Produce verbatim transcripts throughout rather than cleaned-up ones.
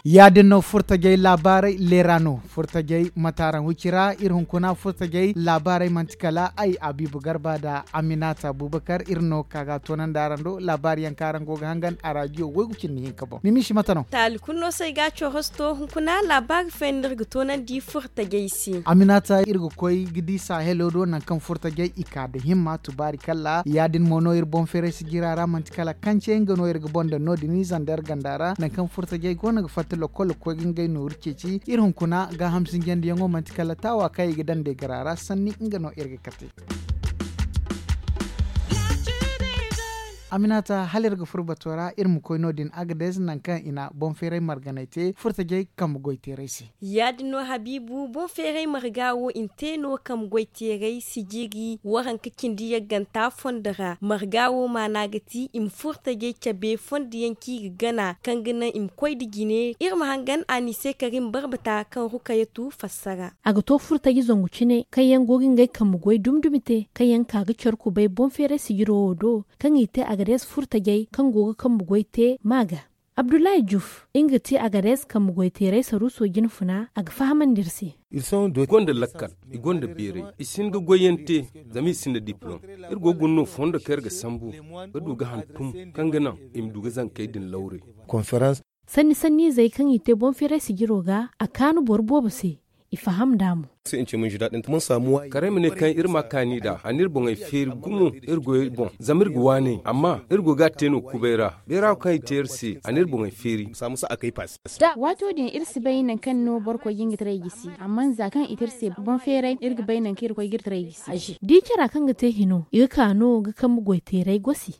Ya-din no furtajey laabaarey leera no. Furtajey mataaraŋ wicira iri hunkuna furtajey laabaarey manti kala ay abiibu garba nda aminata abubakar iri no ka ga toonandi araŋ do laabaari yaŋ kaŋ araŋ go ga hangan a raadiyo waygu cindi hinka boŋ ni misi mate no. Taali kulu no se ay ga a corosto hunkuna laabaari fooyaŋ no iri ga toonandi furtajey se. Aminata iri ga koy ga di sahelo do nangu kaŋ furtajey i ka nda himma tubaari kalla ya-din mo no iri boŋ feeray sijira ra manti kala kance nga no iri ga boŋ daŋ no- din i zandar ganda ra nangu kaŋ furtajey go no ga fatta lokkol ga koy ga ngey nooru ceeci iri hunkuna gaaham sinjandiyaŋo manti kala taawa kaŋ i ga daŋ nda i gara ra sanni nga no iri ga kate. Aminata hala iri ga furo bato ra iri ma koy no- din agades nangu kaŋ i na boŋ feeray marganay te furtajey kambe goy teeray se. Ya-din no habiibu boŋ feeray marga wo i na te no kambe goy teeray sijiri waranka cindi yagganta fondo ra marga wo maana ga ti i ma furtajey cabe fondo yaŋ kaŋ i ga gana kaŋ ga naŋ i ma koy nda jine iri ma hangan a ni se karim barbata kaŋ rukayatu fassara. A ga to furtaji zangu cine kaŋ yaŋ go ga ngey kambe goy dumi dumi te kaŋ yaŋ ka ga care kubay boŋ feeray sijiro wo do kaŋ i te agades furtajey kaŋ go ga kambe goy te ma ga. Abdullahi juf nga ga ti agades kambe goy teeray saruuso jine funa a ga fahamandi iri se. I gonda lakkal, i gonda beeray, i si hin ga goyyaŋ te. Zama i sinda diplom. Iri go ga guna no fondo kaŋ iri ga sambu ga du ga hantum kaŋ ga naŋ i ma du ga zankey din lawre. Sanni sanniizey kaŋ i te boŋ feeray sijiro ga a kaanu boro boobo se. I faham nd'a mo. Karay ma ne kaŋ iri ma a kaani nd'a a n'iri boŋey feeri gumo iri goyey boŋ zama iri ga waanay amma iri go ga a te no kubay ra. Beera wo kaŋ i te iri se a n'iri boŋey feeri. Waato din iri si bay nangu kaŋ no boro koy ga nga taray gisi amma za kaŋ i te iri se boŋ feeray iri ga bay nangu kaŋ iri koy ga iri taray gisi. Da i cara kaŋ ga te hino i ga ka no ga kambe goy teeray gosi.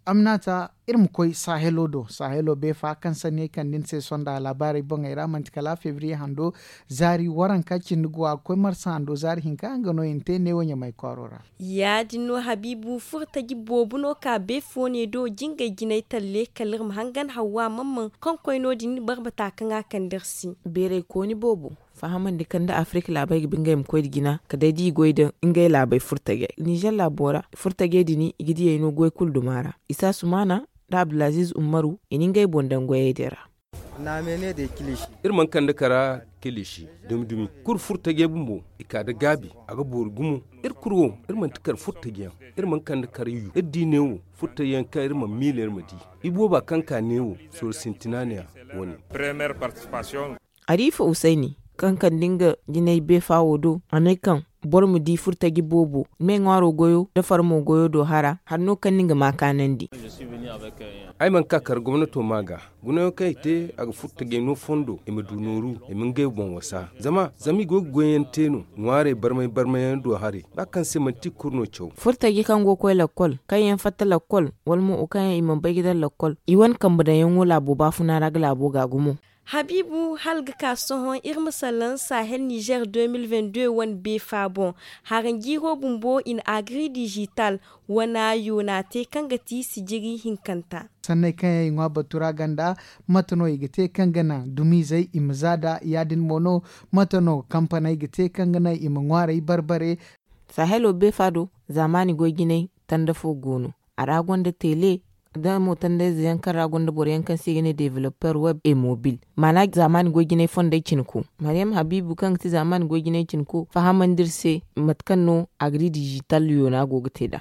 Iri ma koy sahelo do sahelo beefa kaŋ sanni ay kande ni se sonda laabaarey boŋey ra manti kala febriye hando zaari waranka cindi go a ga koy marsa hando zaari hinka nga no i na te neewo ɲamay kwaaro ra. Ya- din no habiibu furtaji boobo no ka beefo ne do jingay jinay talle kala iri ma hangan hawwa mamman kaŋ koy no- din barbata kaŋ a kande iri se. Beeray kooni boobo fahamandi kaŋ da afirika laabey ga ba ngey ma koy nda jina kala day da i goy nda ngey laabey furtajey nizer laabo ra furtajey din i ga diyey no goy kulu duma ra. Isa sumaana nda abdulaziiz ummaru i na ngey boŋ daŋ goyey din ra. Iri mana kande kara kilishi dumi dumi kulu furtajey bumbo i ka nda gaabi a ga boori gumo. Iri kulu wo iri manti kara furtaji yaŋ. Iri mana kande kara yu iri di neewo furtaji yaŋ kaŋ iri mana miila iri ma di. Ibooba kaŋ ka neewo sorro sintina ne-ya wane. Ariifa usayni kaŋ kande nga jinay beefa wo do a ne kaŋ boro ma di furtaji boobo me ŋwaaro goyo nda farmo goyo do hara hari no kaŋ ni ga ma kaanandi. Ay mana ka kar gomnato ma ga gunayaŋ kaŋ i te a ga furtajey no fondo i ma du nooru i ma ngey boŋ wasa zama zama i go ga goyyaŋ te no ŋwaarey barmay barmay yaŋ do haray ba kaŋ se manti i kulu no caw. Furtaji kaŋ go ga koy lakkol kaŋ yaŋ fatta lakkol wala mo wo kaŋ yaŋ i mana bay ga daŋ lakkol i wane kambe daŋyaŋo laabo baafuna ra ga laabo ga gumo. Habiibu hala ga ka sohõ iri ma salaŋ sahel nizer deux mille vingt-deux wane beefa boŋ. Haranjiiro bumbo i na agri digital wana yoona te kaŋ ga ti sijiri hinkanta. Sanney kaŋ yaŋ i ŋwa batu ra ganda mate no i ga te kaŋ ga naŋ dumiizey i ma za nd'a ya- din mo no? Mate no kampaney ga te kaŋ ga naŋ i ma ŋwaarey barbare? Sahelo beefa do zaamaani goy jinay tanda fo go no. A ra gonda tele da mo tandayze yaŋ kaŋ ra gonda boro yaŋ kaŋ se i ga ne developer web e mobil maana zaamaani goy jinay fondey cinko. Maryam habiibu kaŋ ga ti zaamaani goy jinay cinko fahamandi iri se mate kaŋ no agri digital yoona go ga te nd'a.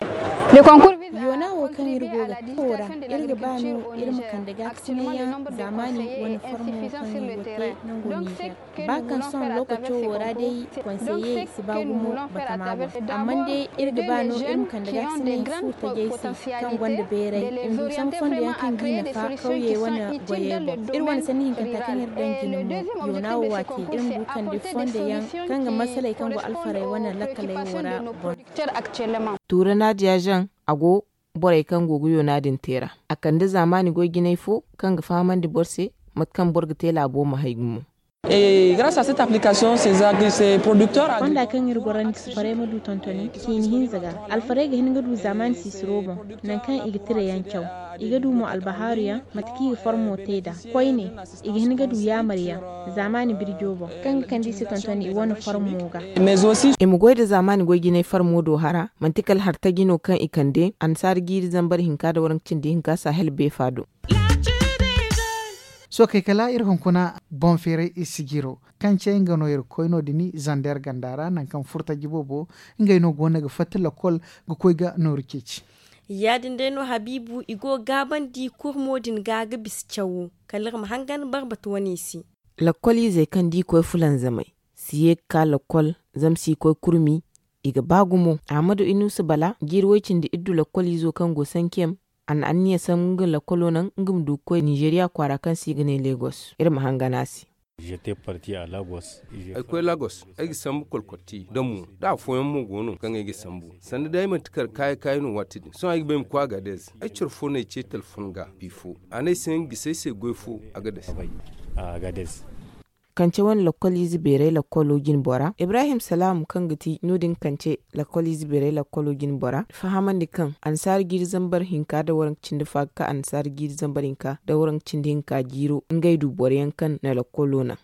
Yoona wo kaŋ iri go ga te wo ra iri ga ba no iri ma kande gaakasinay yaŋ zaamaani wane formo kaŋ i go ga te nango nizer. Ba kaŋ sohõ lookaco wo ra day konseye si ba gumo batama boŋ. Amma day iri ga ba no iri ma kande gaakasinay furtajey se kaŋ gonda beeray i ma du sambu fondo yaŋ kaŋ ga i nafa kawyey wane goyey boŋ. Iri wane sanni hinkanta kaŋ iri daŋ jine mo yoona wo waati iri ma du kande fondo yaŋ kaŋ ga masaley kaŋ go alfarey wane lakkaley wo ra boŋ. Tuurana diyazaŋ a go borey kaŋ go ga yoona din te ra. A kande zaamaani goy jinay fo kaŋ ga fahamandi boro se mate kaŋ boro ga te laabo ma hay gumo. Fonda kaŋ iri gorandi sifaray ma du tontoni ciini hinza ga, alfarey ga hin ga du zaamaani siisiro boŋ, nangu kaŋ i ga tirayaŋ caw. I ga du mo albahaaru yaŋ, mate kaŋ i ga farmo te nd'a. Koyne, i ga hin ga du yaamar yaŋ zaamaani birjo boŋ, kaŋ ga kande i se tontoni i wane farmo ga. I ma goy nda zaamaani goy jinay farmo do hara, manti kala hartaji no kaŋ i kande annasaara jiiri zambar hinka nda waranka cindi hinka sahel beefa do. Sookey kala iri hunkuna boŋ feeray i sijiro, kaŋ ce nga no iri koy no- din zander ganda ra nangu kaŋ furtaji boobo, ngey no go no ga fatta lakkol ga koy ga nooru ceeci. Ya- din day no habiibu i go gaabandi kurmo din ga ga bisa cawo, kala iri ma hangan barbatu wane se. Lakkoliizey kaŋ da i koy fulanzamey si ye ga ka lakkol, zama si koy kurmi, i ga ba gumo. Ahmadu inuusa bala jiiri way-cindi iddu lakkoliizo kaŋ go sankem, a na anniya sambu nga lakkolo naŋ nga ma du ga koy ninzeeriya kwaara kaŋ se i ga ne legos. Iri ma hangan a se. Ay koy lagos, ay ga sambu kolkotti da mo da afooyaŋ mo go no kaŋ ay ga sambu. Sanda day ay manti kar kaayi kaayi no waati din sohõ ay ga ba ay ma koy agadez. Ay coro fo no ay ce telefon ga bifo, a ne ay se nga gisi ay se goy fo agadez. Kance wane lakkoliize beeray lakkolo jine bora ibrahim salaamu kaŋ ga ti no- din kance lakkoliize beeray lakkolo jine bora fahamandi kaŋ annasaara jiiri zambar hinka nda waranka cindi fa ga ka annasaara jiiri zambar hinka nda waranka cindi hinka jiiro ngey du boro yaŋ kaŋ na lakkolo naŋ.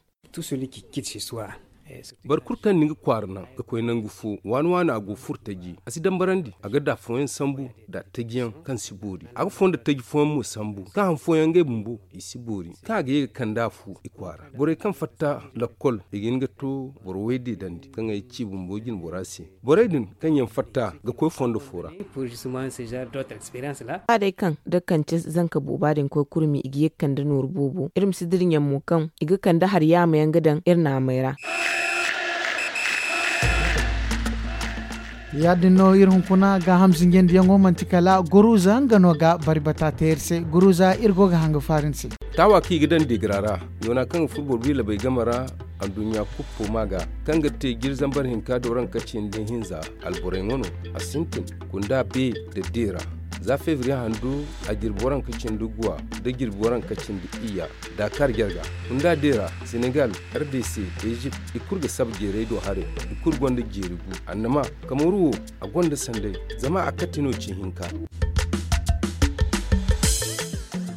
Boro kulu kaŋ na nga kwaara naŋ ga koy nangu fo waani waani a go furtaji a si dambarandi a ga da afooyaŋ sambu da tajiyaŋ kaŋ si boori a ga fondo taji fooyaŋ mo sambu kaŋ han fooyaŋ ngey bumbo i si boori kaŋ a ga ye ga kande a fu i kwaara borey kaŋ fatta lakkol i ga hin ga to boro way deedandi kaŋ ay ci bumbo jine bora se. Borey din kaŋ yaŋ fatta ga koy fondo fo ra. Ba day kaŋ da kance zanka booba din koy kurmi i ga ye ga kande nooru boobo iri ma si dira ɲaŋ mo kaŋ i ga kande hari yaama yaŋ ga daŋ iri naamey ra. Ya- din no iri hunkuna gaaham zinjandiyaŋo manti kala guruza nga no ga bari bata te iri se guruza iri go ga hanga faari ni se. Taawa kaŋ i ga daŋ deegira ra yoona kaŋ ga furo boro biila bay game ra. Anduɲɲa kuppo ma ga kaŋ ga te jiri zambar hinka da waranka cindi hinza alborey ŋwa no a sintin kunda be da deera za febriye handu a jirbi waranka cindi guwa da jirbi waranka cindi iyya. Dakar jarga kunda deera senegal, rdc, ezipt i kulu ga saba jeeray do haray. I kulu gonda jeeri gu annama kamaru wo a gonda sanday zama a kate no ci hinka.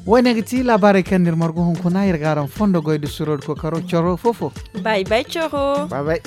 Wo- ne ga ti laabaarey kaŋ no iri margu hunkuna iri ga araŋ fondo goy da suro da kookaro coro fo-fo. Bay bay coro. Bay bay.